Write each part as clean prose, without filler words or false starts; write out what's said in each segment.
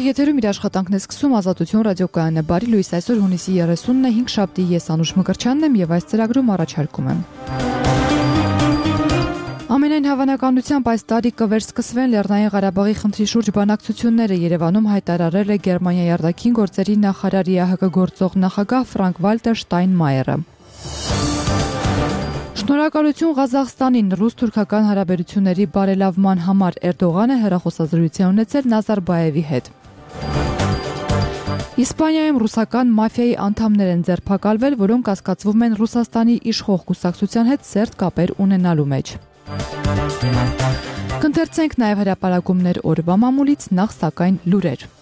Եթերում իր աշխատանքն է սկսում Ազատություն ռադիոկայանը։ Բարի լույս, այսօր հունիսի 30-ն է, 5 շաբթի, ես Անուշ Մկրտչյանն եմ եւ այս ծրագրում առաջարկում եմ։ Ամենայն հավանականությամբ այս տարի կվերսկսվեն Լեռնային Ղարաբաղի խնդրի շուրջ բանակցությունները, Երևանում հայտարարել է Գերմանիայի արտաքին գործերի նախարար ԵԱՀԿ գործող նախագահ Ֆրանկկ-Վալտեր Շտայնմայերը։ Շնորհակալություն Ղազախստանին ռուս-թուրքական հարաբերությունների բարելավման համար Էրդողանը հեռախոսազրույց է ունեցել Նազարբայևի հետ։ Իսպանիայում ռուսական մաֆիայի անդամներ են ձերբակալվել, որոնք կասկածվում են Ռուսաստանի իշխող կուսակցության հետ սերտ կապեր ունենալու մեջ։ Կընթերցենք նաև հրապարակումներ օրվա մամուլից, նախ սակայն լուրեր։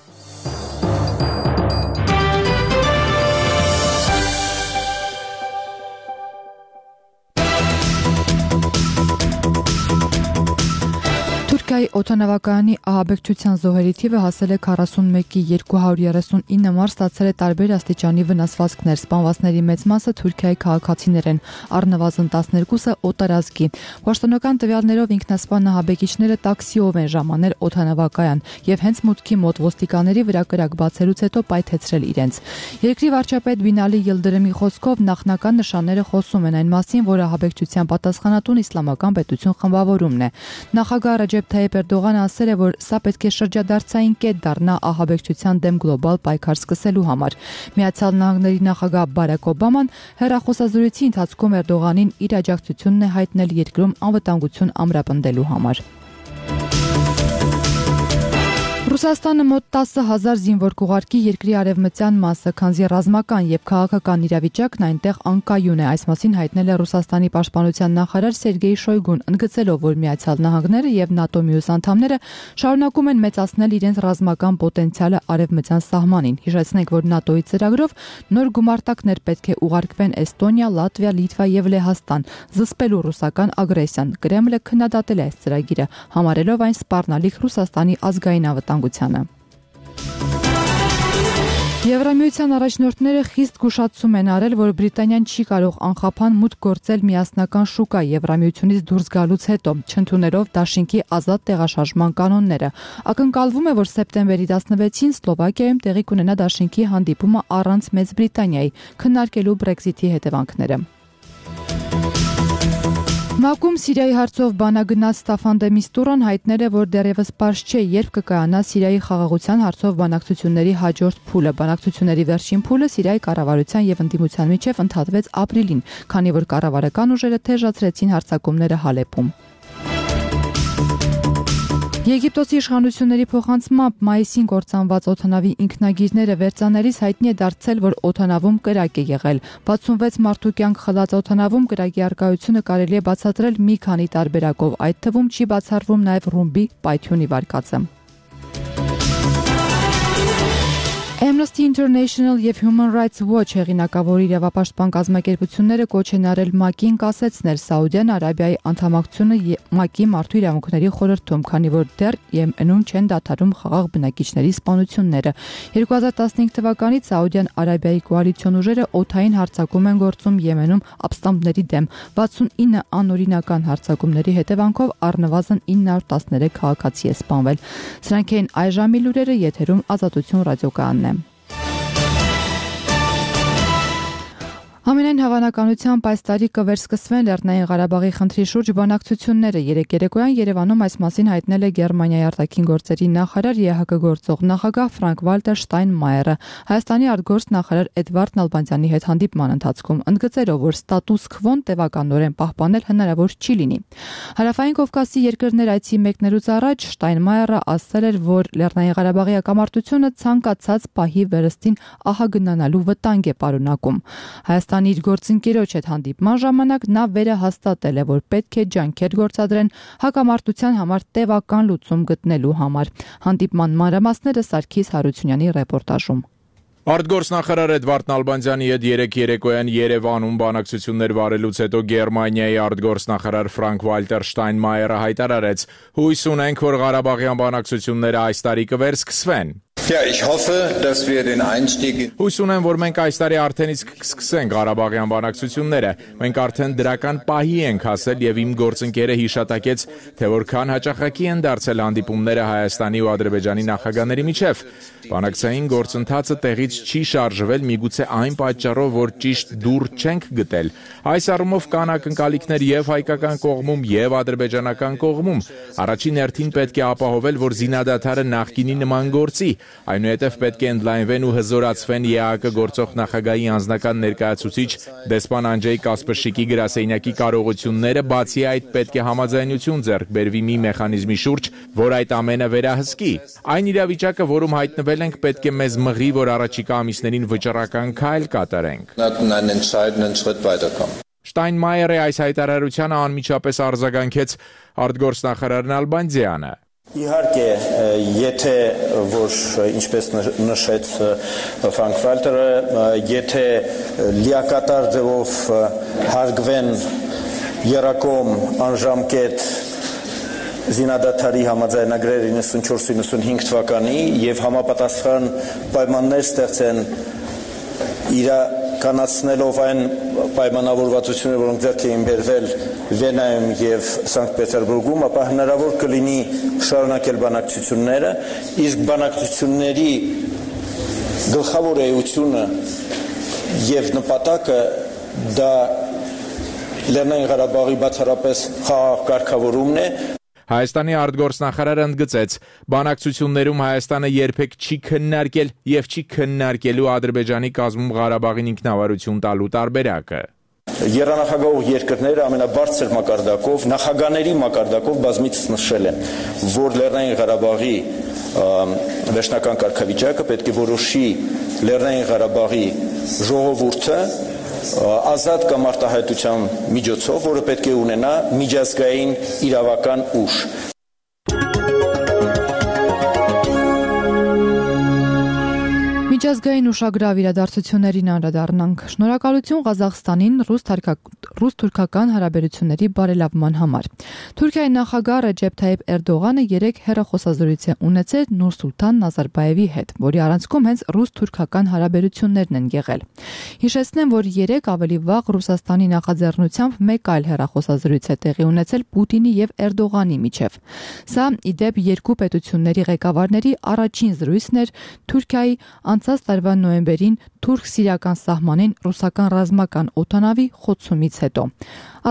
Թուրքիայի օդանավակայանի ահաբեկչության զոհերի թիվը հասել է 41-ի 239 մարդ, ստացել է տարբեր աստիճանի վնասվածքներ։ Սպանվածների մեծ մասը Թուրքիայի քաղաքացիներ են, առնվազն 12-ը օտարազգի։ Պաշտոնական տվյալներով ինքնասպան ահաբեկիչները տաքսիով են ժամանել օդանավակայան եւ հենց մուտքի մոտ ոստիկանների վրա կրակ բացելուց հետո պայթեցրել իրենց։ Երկրի վարչապետ Բինալի Յիլդրիմի խոսքով նախնական նշանները խոսում են այն մասին, որ ահաբեկչության պատասխանատուն իսլամական պետություն խմբավորումն է։ Նախագահ Ռաջեփ Թայիփ Էրդողանը ասել է, որ սա պետք է շրջադարձային կետ դառնա ահաբեկչության դեմ գլոբալ պայքար սկսելու համար։ Միացյալ Նահանգների նախագահ Բարաք Օբաման հեռախոսազրույցի ընթացքում Էրդողանին իր աջակցությունն է հայտնել երկրում անվտանգություն ամրապնդելու համար։ Ռուսաստանը մոտ 10,000 զինվոր կուղարկի երկրի արևմտյան մասը, քանզի ռազմական եւ քաղաքական իրավիճակն այնտեղ անկայուն է, այս մասին հայտնել է Ռուսաստանի պաշտպանության նախարար Սերգեյ Շոյգուն, ընդգծելով, որ Միացյալ Նահանգները եւ ՆԱՏՕ մյուս անդամները շարունակում են մեծացնել իրենց ռազմական պոտենցիալը արևմտյան սահմանին։ Հիշեցնենք, որ ՆԱՏՕ-ի ծրագրով նոր գումարտակներ պետք է ուղարկվեն Էստոնիա, Լատվիա, Լիտվա եւ Լեհաստան, զսպելու ռուսական ագրեսիան։ Կրեմլը քննադատել է այս ծրագիրը, համարելով այն սպառնալիք Ռուսաստանի ազգային անվտանգությանը։ Եվրամիության առաջնորդները խիստ զգուշացում են արել, որ Բրիտանիան չի կարող անխափան մուտք գործել միասնական շուկա Եվրամիությունից դուրս գալուց հետո, չընդունելով դաշինքի ազատ տեղաշարժման կանոնները։ Ակնկալվում է, որ սեպտեմբերի 16-ին Սլովակիայում տեղի կունենա դաշինքի հանդիպումը առանց Մեծ Բրիտանիայի, քննարկելու Բրեքզիթի հետևանքները։ ՄԱԿ-ում Սիրիայի հարցով բանագնաց Ստաֆան դե Միստուրան հայտնել է, որ դեռևս պարզ չէ, երբ կկայանա Սիրիայի խաղաղության հարցով բանակցությունների հաջորդ փուլը։ Բանակցությունների վերջին փուլը Սիրիայի կառավարության եւ ընդդիմության միջև ընդհատվեց ապրիլին, քանի որ կառավարական ուժերը թեժացրեցին հարձակումները Հալեպում։ Եգիպտոսի իշխանությունների փոխանցմամբ մայիսին կործանված օդանավի ինքնագիրները վերցանելիս հայտնի է դարձել, որ օդանավում կրակ է եղել։ 66 մարդու կյանք խլած օդանավում կրակի առկայությունը կարելի է բացատրել մի քանի տարբերակով, այդ թվում չի բացառվում նաև ռումբի պայթյունի վարկածը։ Amnesty International եւ Human Rights Watch հեղինակավոր իրավապաշտպան կազմակերպությունները կոչ են արել ՄԱԿ-ին կասեցնել Սաուդյան Արաբիայի անդամակցությունը ՄԱԿ-ի մարդու իրավունքների խորհրդում, քանի որ դեռ Եմենում չեն դադարում խաղաղ բնակիչների սպանությունները։ 2015 թվականից Սաուդյան Արաբիայի կոալիցիոն ուժերը օդային հարձակում են գործում Եմենում ապստամբների դեմ։ 69 անօրինական հարձակումների հետևանքով առնվազն 913 քաղաքացի է սպանվել։ Սրանք են այժմի լուրերը, եթերում Ազատություն ռադիոկայանն է։ Ամենայն հավանականությամբ այս տարի կվերսկսվեն Լեռնային Ղարաբաղի խնդրի շուրջ բանակցությունները։ Երեկ երեկոյան Երևանում այս մասին հայտնել է Գերմանիայի արտաքին գործերի նախարար ԵԱՀԿ գործող նախագահ Ֆրանկկ-Վալտեր Շտայնմայերը Հայաստանի արտգործնախարար Էդվարդ Նալբանդյանի հետ հանդիպման ընթացքում, ընդգծելով, որ ստատուս քվոն տևականորեն պահպանել հնարավոր չի լինի։ Հարավային Կովկասի երկրներ այցի մեկնելուց առաջ Շտայնմայերը ասել էր, որ Լեռնային Ղարաբաղի հակամարտությունը ցանկացած պահի վերստին ահագնանալու վտանգ է պարունակում։ Հայաստանի իր գործընկերոջ հետ հանդիպման ժամանակ նա վերահաստատել է, որ պետք է ջանքեր գործադրեն հակամարտության համար տևական լուծում գտնելու համար։ Հանդիպման մանրամասները Սարգիս Հարությունյանի ռեպորտաժում։ Արտգործնախարար Էդվարդ Նալբանդյանի հետ երեկ երեկոյան Երևանում բանակցություններ վարելուց հետո Գերմանիայի արտգործնախարար Ֆրանկկ-Վալտեր Շտայնմայերը հայտարարեց. «Հույս ունենք, որ Ղարաբաղյան բանակցությունները այս տարի կվերսկսվեն»։ Ja, ich hoffe, dass wir den Einstieg Հույս ունեմ, որ մենք այս տարի արդեն իսկ կսկսենք Ղարաբաղյան բանակցությունները։ Մենք արդեն դրական պահի ենք հասել եւ իմ գործընկերը հիշատակեց, թե որքան հաճախակի են դարձել հանդիպումները Հայաստանի ու Ադրբեջանի նախագահների միջև։ Բանակցային գործընթացը տեղից չի շարժվել միգուցե այն պատճառով, որ ճիշտ դուռ չենք գտել։ Այս առումով կան ակնկալիքներ եւ հայկական կողմում եւ ադրբեջանական կողմում։ Առաջին հերթին պետք է ապահովել, որ զինադադարը նախկինի նման գործի։ Այնուհետև պետք է ընդլայնվեն ու հզորացվեն ԵԱՀԿ գործող նախագահի անձնական ներկայացուցիչ դեսպան Անջեյ Կասպրշիկի գրասենյակի կարողությունները, բացի այդ պետք է համաձայնություն ձեռք բերվի մի մեխանիզմի շուրջ, որ այդ ամենը վերահսկի։ Այն իրավիճակը, որում հայտնվել ենք, պետք է մեզ մղի, որ առաջիկա ամիսներին վճռական քայլ կատարենք։ Շտայնմայերի այս հայտարարությանը անմիջապես արձագանքեց արտգործնախարար Նալբանդյանը։ Իհարկե, եթե որ ինչպես նշեց Ֆրանկ Վալտերը, եթե լիակատար ձևով հարգվեն երակոմ անժամկետ զինադադարի համաձայնագրեր 94-95 թվականի եւ համապատասխան պայմաններ ստեղծեն իրականացնելով այն պայմանավորվածությունները, որոնք ձեռք էին բերվել Վենայում եւ Սանկտ Պետերբուրգում, ապա հնարավոր կլինի շարունակել բանակցությունները, իսկ բանակցությունների գլխավոր էությունը եւ նպատակը դա Լեռնային Ղարաբաղի բացառապես խաղաղ կարգավորումն է։ Հայաստանի արտգործնախարարը ընդգծեց, բանակցություններում Հայաստանը երբեք չի քննարկել եւ չի քննարկելու Ադրբեջանի կազմում Ղարաբաղին ինքնավարություն տալու տարբերակը։ Երանախագահող երկրները ամենաբարձր մակարդակով, նախագաների մակարդակով բազմիցս նշել են, որ Լեռնային Ղարաբաղի վերջնական կարգավիճակը պետք է որոշի Լեռնային Ղարաբաղի ժողովուրդը ազատ կամ արտահայտության միջոցով, որը պետք է ունենա միջազգային իրավական ուժ։ Միջազգային ուշագրավ իրադարձություններին անդրադառնանք։ Շնորհակալություն Ղազախստանին ռուս-թուրքական հարաբերությունների բարելավման համար։ Թուրքիայի նախագահ Ռեջեփ Թայիփ Էրդողանը երեկ հեռախոսազրույց է ունեցել Նուրսուլտան Նազարբաևի հետ, որի առանցքում հենց ռուս-թուրքական հարաբերություններն են եղել։ Հիշեցնեմ, որ երեկ ավելի վաղ Ռուսաստանի նախաձեռնությամբ մեկ այլ հեռախոսազրույց է տեղի ունեցել Պուտինի եւ Էրդողանի միջև։ Սա ի դեպ երկու պետությունների ղեկավարների առաջին զրույցն էր Թուրքիայի անցած տարվա նոյեմբերին թուրք-սիրիական սահմանին ռուսական ռազմական օդանավի խոցումից հետո։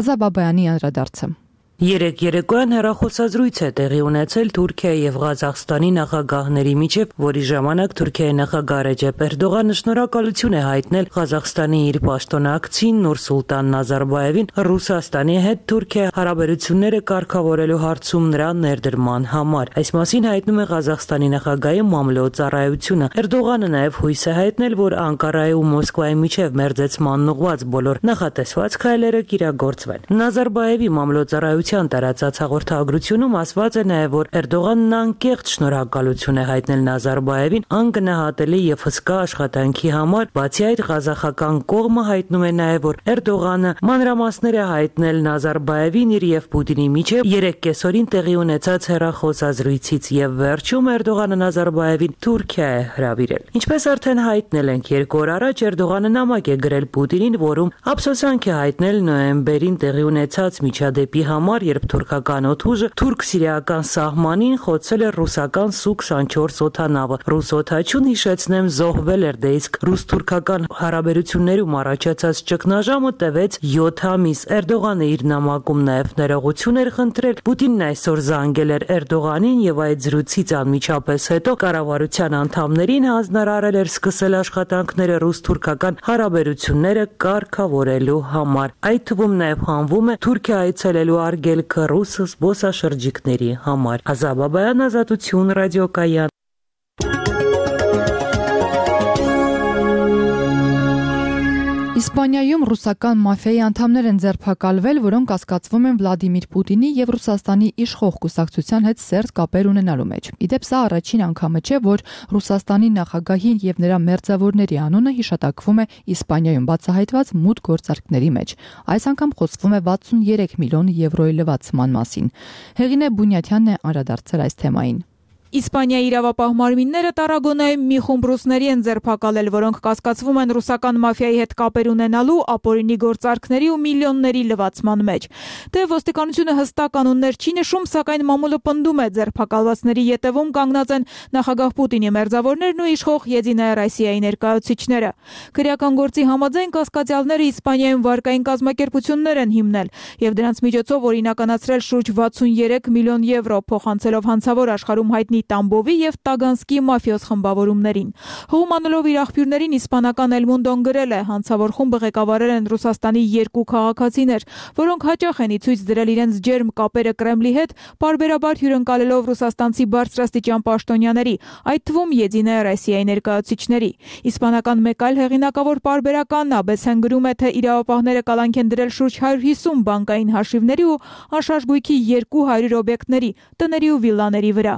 Ազա Բաբայանի անդրադարձը։ Երեկ երեկոյան հեռախոսազրույց է տեղի ունեցել Թուրքիայի եւ Ղազախստանի նախագահների միջև, որի ժամանակ Թուրքիայի նախագահ Ռեջեփ Էրդողանը շնորհակալություն է հայտնել Ղազախստանի իր պաշտոնակցին Նուրսուլտան Նազարբաևին Ռուսաստանի հետ Թուրքիայի հարաբերությունները կարգավորելու հարցում նրա ներդրման համար։ Այս մասին հայտնում է Ղազախստանի նախագահի մամլոյ-ծառայությունը։ Էրդողանը նաեւ հույս է հայտնել, որ Անկարայի ու Մոսկվայի միջև մերձեցման ուղղված բոլոր նախատեսված քայլերը կիրագործվեն։ Նազարբաևի մամլոյ-ծառայությունը տարածած հաղորդագրությունում ասված է նաև, որ Էրդողանն անկեղծ շնորհակալություն է հայտնել Նազարբաևին անգնահատելի եւ հսկա աշխատանքի համար, բացի այդ ղազախական կողմը հայտնում է նաև, որ Էրդողանը մանրամասներ է հայտնել Նազարբաևին իր եւ Պուտինի միջև երեկ կեսօրին տեղի ունեցած հեռախոսազրույցից եւ վերջում Էրդողանը Նազարբաևին Թուրքիա է հրավիրել։ Ինչպես արդեն հայտնել ենք 2 օր առաջ, Էրդողանը նամակ է գրել Պուտինին, որում ափսոսանք է հայտնել նոյեմբերին տեղի ունեցած միջադեպի համար, երբ թուրքական օդուժը թուրք-սիրիական սահմանին խոցել էր ռուսական Սու-24 օդանավը։ Ռուս օդաչուն, հիշեցնեմ, զոհվել էր, դե իսկ ռուս-թուրքական հարաբերություններում առաջացած ճգնաժամը տևեց 7 ամիս։ Էրդողանը իր նամակում նաև ներողություն էր խնդրել։ Պուտինն այսօր զանգել էր Էրդողանին եւ այդ զրույցից անմիջապես հետո կառավարության անդամներին հանձնարարել էր սկսել աշխատանքները ռուս-թուրքական հարաբերությունները կարգավորելու համար։ Այդ թվում նաև հանվում է Թուրքիա այցելելու արգելքը ռուս զբոսաշրջիկների համար։ Ազա Բաբայան, Ազատություն, ռադիոկայան։ Իսպանիայում ռուսական մաֆիայի անդամներ են ձերբակալվել, որոնք կասկածվում են Վլադիմիր Պուտինի եւ Ռուսաստանի իշխող կուսակցության հետ սերտ կապեր ունենալու մեջ։ Իդեպ սա առաջին անգամը չէ, որ Ռուսաստանի նախագահին եւ նրա մերձավորների անունը հիշատակվում է Իսպանիայում բացահայտված մութ գործարքների մեջ։ Այս անգամ խոսվում է 63 միլիոն եվրոյի լվացման մասին։ Հեղինե Բունյաթյանն է անդրադարձել այս թեմային։ Իսպանիայի իրավապահ մարմինները Տարագոնայում մի խումբ ռուսների են ձերբակալել, որոնք կասկածվում են ռուսական մաֆիայի հետ կապեր ունենալու, ապօրինի գործարքների ու միլիոնների լվացման մեջ։ Թե ոստիկանությունը հստակ կանոններ չի նշում, սակայն մամուլը պնդում է, ձերբակալվածների ետևում կանգնած են նախագահ Պուտինի մերձավորներն ու իշխող Եդինայա Ռոսիայի ներկայացուցիչները։ Քրեական գործի համաձայն կասկածյալները Իսպանիայում վարկային կազմակերպություններ են հիմնել եւ դրանց միջոցով օրինականացրել շուրջ 63 միլիոն եվրո, փոխանցելով հանցավոր աշխարհում հայտնի Տամբովի եւ Տագանսկի մաֆիոզ խմբավորումներին։ Հողմանելով իր աղբյուրներին իսպանական El Mundo-ն գրել է, հանցավոր խումբը ղեկավարել են Ռուսաստանի երկու քաղաքացիներ, որոնք հաճախ են ի ցույց դրել իրենց ջերմ կապերը Կրեմլի հետ, պարբերաբար հյուրընկալելով ռուսաստանցի բարձրաստիճան պաշտոնյաների, այդ թվում Եդինայա Ռոսիայի ներկայացուցիչների։ Իսպանական մեկ այլ հեղինակավոր պարբերական ABC-ն գրում է, թե իրավապահները կալանք են դրել շուրջ 150 բանկային հաշիվների ու անշարժ գույքի 200 օբյեկտների, տների ու վիլլաների վրա։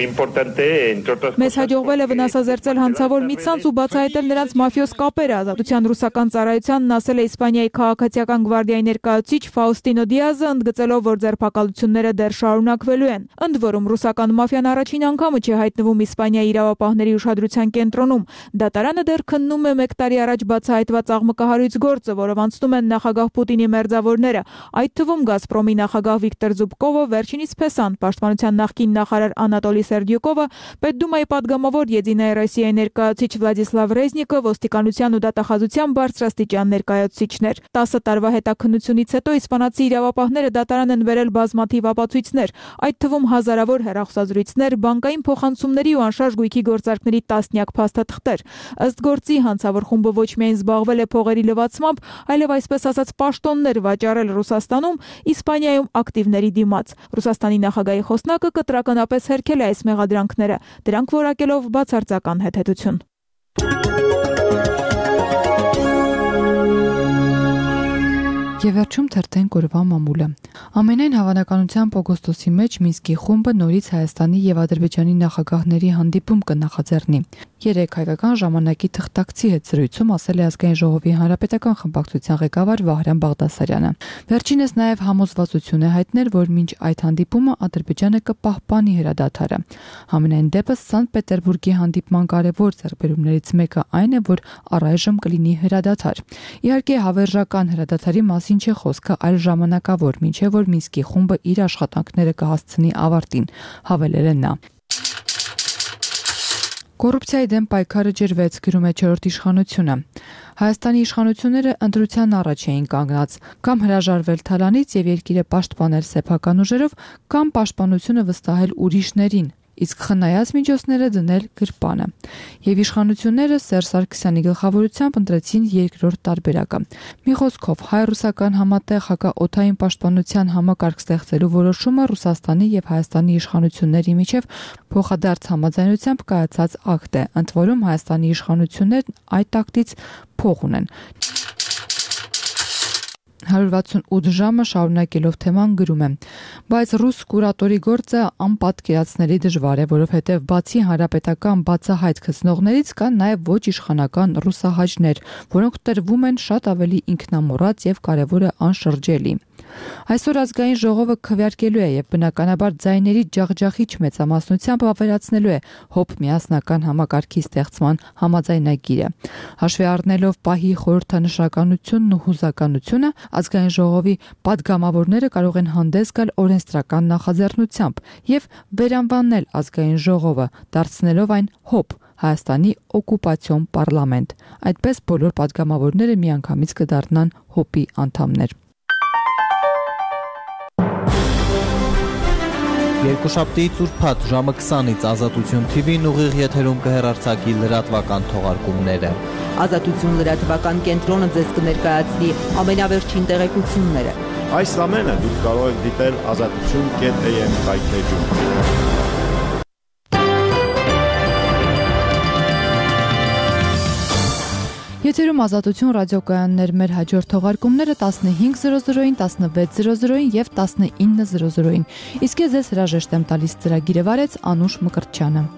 Մեզ հաջողվել է վնասազերծել հանցավոր մի ցանց ու բացահայտել նրանց մաֆիոզ կապերը, Ազատության ռուսական ծառայությանն ասել է Իսպանիայի քաղաքացիական գվարդիայի ներկայացուցիչ Ֆաուստինո Դիազը, ընդգծելով, որ ձերբակալությունները դեռ շարունակվելու են։ Ընդ որում ռուսական մաֆիան առաջին անգամը չի հայտնվում Իսպանիայի իրավապահների ուշադրության կենտրոնում։ Դատարանը դեռ քննում է 1 տարի առաջ բացահայտված աղմկահարույց գործը, որով անցնում են նախագահ Պուտինի մերձավորները, այդ թվում Գազպրոմի նախագահ Վիկտոր Զուբկովը, վերջինիս Փեսան, պաշտպանության նախկին նախարար Անատոլի Սերդյուկովը, Պետդումայի падգամավոր Եդինայա Ռոսիայի ներկայացուցիչ Վլադիսլավ Ռեզնիկը, ոստիկանության ու դատախազության բարձրաստիճան ներկայացուցիչներ։ 10 տարվա հետաքննությունից հետո իսպանացի իրավապահները դատարան են բերել բազմաթիվ ապացույցներ, այդ թվում հազարավոր հեռախոսազրույցներ, բանկային փոխանցումների ու անշարժ գույքի գործարքների տասնյակ փաստաթղթեր։ Ըստ գործի հանցավոր խումբը ոչ միայն զբաղվել է փողերի լվացմամբ, այլև այսպես ասած պաշտոններ վաճառել Ռուսաստանում, Իսպանիայում ակտիվների դիմաց։ Ռուսաստանի նախագահի խոսնակը կտրականապես հերքել է այս մեղադրանքները, դրանք որակելով բացարձական հետհետություն։ Եվ վերջում թերթենք օրվա մամուլը։ Ամենայն հավանականությամբ օգոստոսի մեջ Մինսկի խումբը նորից Հայաստանի եւ Ադրբեջանի նախագահների հանդիպում կնախաձեռնի։ 3 հայկական ժամանակի թղթակցի հետ զրույցում ասել է Ազգային ժողովի հանրապետական խմբակցության ղեկավար Վահրամ Բաղդասարյանը։ Վերջինս նաև համոզվածություն է հայտնել, որ մինչ այդ հանդիպումը Ադրբեջանը կպահպանի հրադադարը։ Համենայն դեպս Սանկտ Պետերբուրգի հանդիպման կարևոր ձեռքբերումներից մեկը այն է, որ առայժմ կլինի հրադադար։ Իհարկե հավերժական հրադադարի մասին չէ խոսքը, այլ ժամանակավոր, մինչև որ Մինսկի խումբը իր աշխատանքները կհասցնի ավարտին, հավելել է նա։ Կոռուպցիայի դեմ պայքարը ջրվեց, գրում է 4-րդ իշխանությունը։ Հայաստանի իշխանությունները ընտրության առաջ էին կանգնած, կամ հրաժարվել թալանից եւ երկիրը պաշտպանել սեփական ուժերով, կամ պաշտպանությունը վստահել ուրիշներին, իսկ խնայած միջոցները դնել գրպանը։ Եվ իշխանությունները Սերժ Սարգսյանի գլխավորությամբ ընտրեցին երկրորդ տարբերակը։ Մի խոսքով, հայ-ռուսական համատեղ հակաօդային պաշտպանության համակարգ ստեղծելու որոշումը Ռուսաստանի եւ Հայաստանի իշխանությունների միջև փոխադարձ համաձայնությամբ կայացած ակտ է, ընդ որում Հայաստանի իշխանություններն այդ ակտից փող ունեն։ 168 ժամը շարունակելով թեման գրում է. բայց ռուս կուրատորի գործը անպատկերացնելի դժվար է, որովհետև բացի հանրապետական բացահայտ գծնողներից կան նաև ոչ իշխանական ռուսահայջներ, որոնք տրվում են շատ ավելի ինքնամոռաց եւ կարևորը անշրջելի։ Այսօր ազգային ժողովը քվեարկելու է եւ բնականաբար ձայների ջախջախիչ մեծամասնությամբ ավերացնելու է ՀՕՊ միասնական համակարգի ստեղծման համաձայնագիրը։ Հաշվի առնելով պահի խորհրդանշականությունն ու հուզականությունը, ազգային ժողովի падգամավորները կարող են հանդես գալ օրենսդրական նախաձեռնությամբ եւ վերանվանել ազգային ժողովը, դարձնելով այն ՀՕՊ Հայաստանի օկուպացիոն պարլամենտ։ Այդպես բոլոր падգամավորները միանգամից կդառնան ՀՕՊ-ի անդամներ։ Երկուշաբթի ծուրփաթ ժամը 20-ից Ազատություն TV-ն ուղիղ եթերում կհեռարձակի լրատվական թողարկումները։ Ազատություն լրատվական կենտրոնը ձեզ կներկայացնի ամենավերջին տեղեկությունները։ Այս ամենը դուք կարող եք դիտել azatutun.am կայքէջում։ Եթերում Ազատություն ռադիոկայաններ, մեր հաջորդ թողարկումները 15:00-ին, 16:00-ին եւ 19:00-ին։ Իսկ ես ձեզ հրաժեշտ եմ տալիս, ծրագիրը վարեց Անուշ Մկրտչյանը։